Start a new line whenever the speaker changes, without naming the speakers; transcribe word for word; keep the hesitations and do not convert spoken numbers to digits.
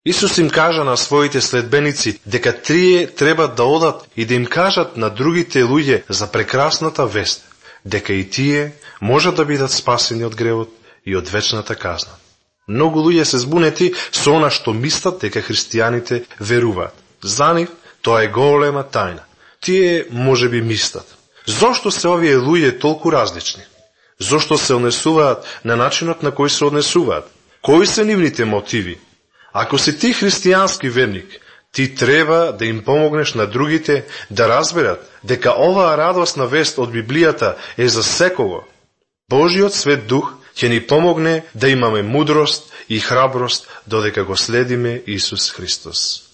Исус им кажа на своите следбеници дека тие треба да одат и да им кажат на другите луѓе за прекрасната вест, дека и тие можат да бидат спасени од гревот и од вечната казна. Многу луѓе се збунети со она што мислат дека христијаните веруваат. За нив тоа е голема тајна. Тие може би мислат: зошто се овие луѓе толку различни? Зошто се однесуваат на начинот на кој се однесуваат? Кои се нивните мотиви? Ако си ти христијански верник, ти треба да им помогнеш на другите да разберат дека оваа радосна вест од Библијата е за секого. Божиот Свет Дух ќе ни помогне да имаме мудрост и храброст додека го следиме Исус Христос.